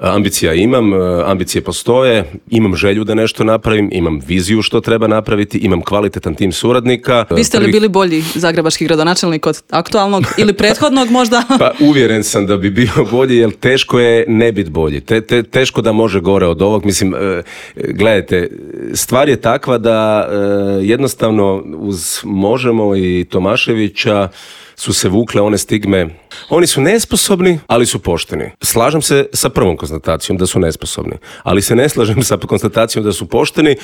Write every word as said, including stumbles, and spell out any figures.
Ambicija imam, ambicije postoje, imam želju da nešto napravim, imam viziju što treba napraviti, imam kvalitetan tim suradnika. Vi ste li bili bolji zagrebački gradonačelnik od aktualnog ili prethodnog možda? Pa uvjeren sam da bi bio bolji, jer teško je ne biti bolji. Te, te, teško da može gore od ovog. Mislim, gledajte, stvar je takva da jednostavno uz Možemo i Tomaševića su se vukle one stigme. Oni su nesposobni, ali su pošteni. Slažem se sa prvom konstatacijom da su nesposobni, ali se ne slažem sa konstatacijom da su pošteni,